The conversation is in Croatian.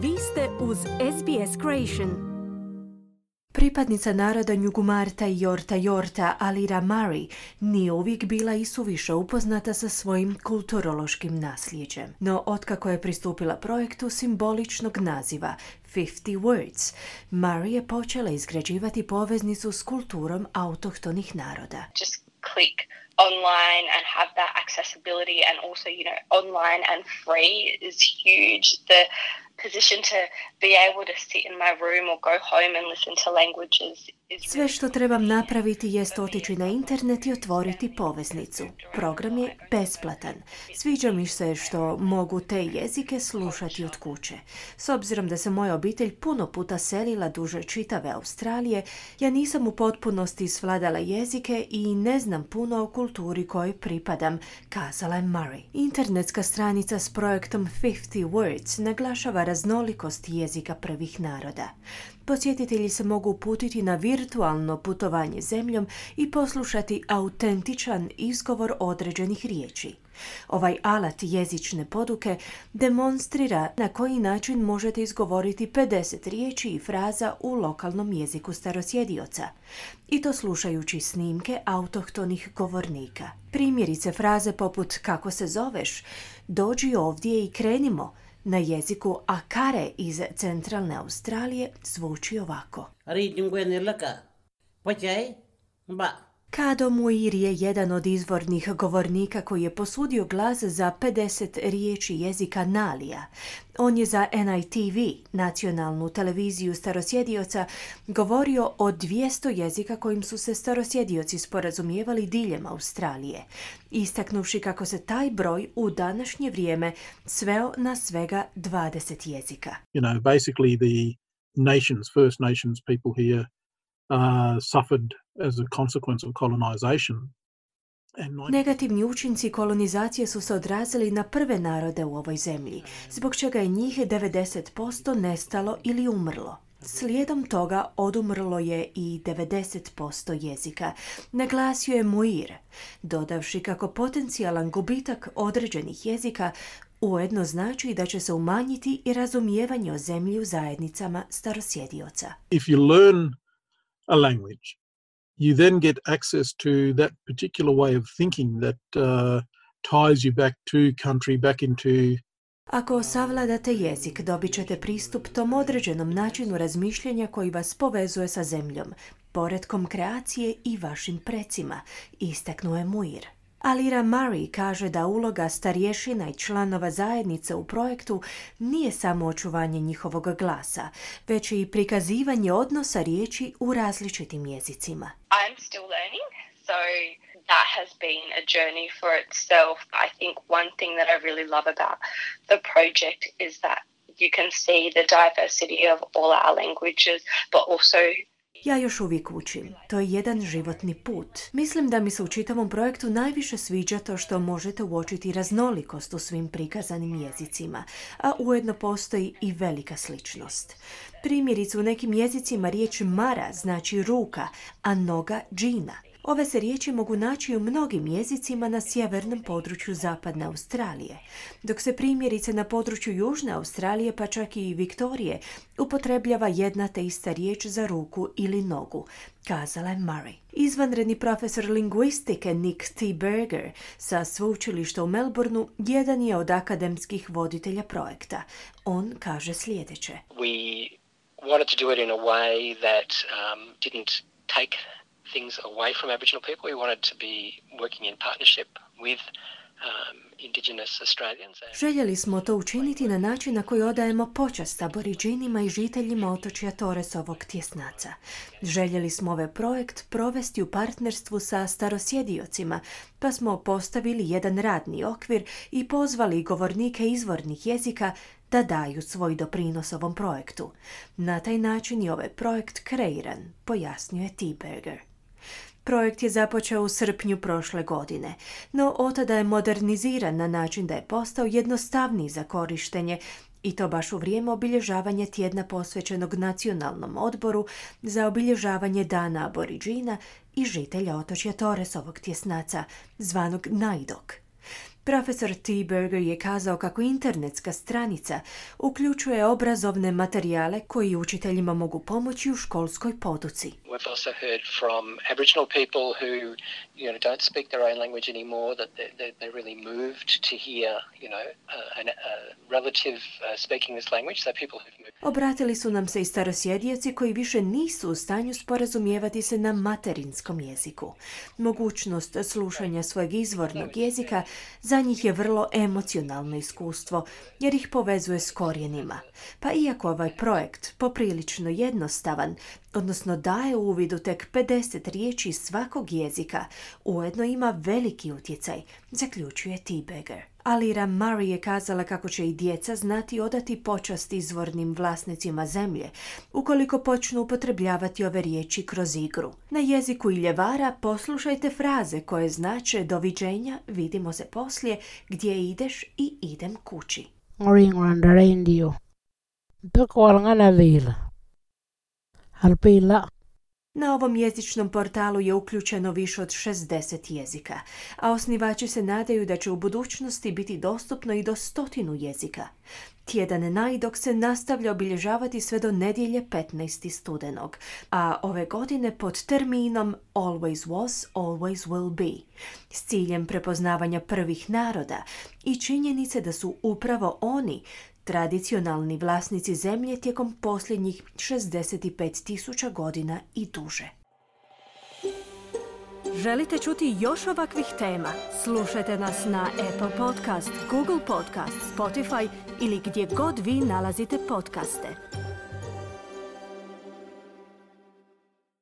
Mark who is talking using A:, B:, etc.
A: Vi ste uz SBS Creation.
B: Pripadnica naroda Njugumarta i Yorta Alira Murray nije uvijek bila i suviše upoznata sa svojim kulturološkim nasljeđem. No, otkako je pristupila projektu simboličnog naziva 50 Words, Murray je počela izgrađivati poveznicu s kulturom autohtonih naroda.
C: Just click online and have that accessibility, and also, online and free is huge. The position to be able to sit in my room or go home and listen to languages is
B: Sve što trebam napraviti jest otići na internet i otvoriti poveznicu. Program je besplatan. Sviđa mi se što mogu te jezike slušati od kuće. S obzirom da se moja obitelj puno puta selila duže čitave Australije, ja nisam u potpunosti svladala jezike i ne znam puno o kulturi kojoj pripadam, kazala je Murray. Internetska stranica s projektom 50 Words naglašava raznolikost jezika prvih naroda. Posjetitelji se mogu uputiti na virtualno putovanje zemljom i poslušati autentičan izgovor određenih riječi. Ovaj alat jezične poduke demonstrira na koji način možete izgovoriti 50 riječi i fraza u lokalnom jeziku starosjedioca, i to slušajući snimke autohtonih govornika. Primjerice fraze poput kako se zoveš, dođi ovdje i krenimo, na jeziku Akare iz centralne Australije zvuči ovako. Kado Muir je jedan od izvornih govornika koji je posudio glas za 50 riječi jezika Nalija. On je za NITV, nacionalnu televiziju starosjedioca, govorio o 200 jezika kojim su se starosjedioci sporazumijevali diljem Australije, istaknuvši kako se taj broj u današnje vrijeme sveo na svega 20 jezika.
D: Basically the First Nations people here suffered as a consequence of colonization.
B: Negativni učinci kolonizacije su se odrazili na prve narode u ovoj zemlji, zbog čega je njih 90% nestalo ili umrlo. Slijedom toga odumrlo je i 90% jezika, naglasio je Muir, dodavši kako potencijalan gubitak određenih jezika ujedno znači da će se umanjiti i razumijevanje o zemlji u zajednicama starosjedioca.
D: If you learn a language, you then get access to that particular way of thinking that ties you back to country, back into...
B: Ako savladate jezik, dobit ćete pristup tom određenom načinu razmišljanja koji vas povezuje sa zemljom, poretkom kreacije i vašim precima, istaknuo je Muir. Alira Murray kaže da uloga starješina i članova zajednice u projektu nije samo očuvanje njihovog glasa, već i prikazivanje odnosa riječi u različitim jezicima.
C: I'm still learning, so that has been a journey for itself. I think one thing that I really love about the project is that you can see the diversity of all our languages, but also
B: Ja još uvijek učim. To je jedan životni put. Mislim da mi se u čitavom projektu najviše sviđa to što možete uočiti raznolikost u svim prikazanim jezicima, a ujedno postoji i velika sličnost. Primjerice, u nekim jezicima riječ mara znači ruka, a noga džina. Ove se riječi mogu naći u mnogim jezicima na sjevernom području zapadne Australije, dok se primjerice na području južne Australije, pa čak i Viktorije, upotrebljava jedna te ista riječ za ruku ili nogu, kazala je Murray. Izvanredni profesor lingvistike Nick T. Berger sa sveučilišta u Melbourneu jedan je od akademskih voditelja projekta. On kaže sljedeće.
E: We wanted to do it in a way that didn't take things away from Aboriginal people. We wanted to be working in partnership with Indigenous Australians.
B: Željeli smo to učiniti na način na koji odajemo počast Aboridžinima i žiteljima otočja Torresovog tjesnaca. Željeli smo ovaj projekt provesti u partnerstvu sa starosjediocima, pa smo postavili jedan radni okvir i pozvali govornike izvornih jezika da daju svoj doprinos ovom projektu. Na taj način je ovaj projekt kreiran, pojasnio je T. Berger. Projekt je započeo u srpnju prošle godine, no otada je moderniziran na način da je postao jednostavniji za korištenje, i to baš u vrijeme obilježavanja tjedna posvećenog Nacionalnom odboru za obilježavanje Dana Aboridžina i žitelja otočja Torresovog tjesnaca, zvanog Naidok. Profesor T. Berger je kazao kako internetska stranica uključuje obrazovne materijale koji učiteljima mogu pomoći u školskoj poduci.
E: We've also heard from Aboriginal people who, don't speak their own language anymore, that they're really moved to hear, a relative speaking this language. So people who've moved.
B: Obratili su nam se i starosjedioci koji više nisu u stanju sporazumijevati se na materinskom jeziku. Mogućnost slušanja svojeg izvornog jezika za njih je vrlo emocionalno iskustvo, jer ih povezuje s korijenima. Pa iako ovaj projekt poprilično jednostavan, odnosno daje uvid u tek 50 riječi svakog jezika, ujedno ima veliki utjecaj, zaključuje T. Berger. Alira Murray je kazala kako će i djeca znati odati počast izvornim vlasnicima zemlje, ukoliko počnu upotrebljavati ove riječi kroz igru. Na jeziku Iljevara poslušajte fraze koje znače doviđenja, vidimo se poslije, gdje ideš i idem kući.
F: Ringrandaraindio. Bekolngana vila. Alpila.
B: Na ovom jezičnom portalu je uključeno više od 60 jezika, a osnivači se nadaju da će u budućnosti biti dostupno i do 100 jezika. Tjedan Najdok se nastavlja obilježavati sve do nedjelje 15. studenog, a ove godine pod terminom Always Was, Always Will Be, s ciljem prepoznavanja prvih naroda i činjenice da su upravo oni tradicionalni vlasnici zemlje tijekom posljednjih 65.000 godina i duže.
A: Želite čuti još ovakvih tema? Slušajte nas na Apple Podcast, Google Podcast, Spotify ili gdje god vi nalazite podcaste.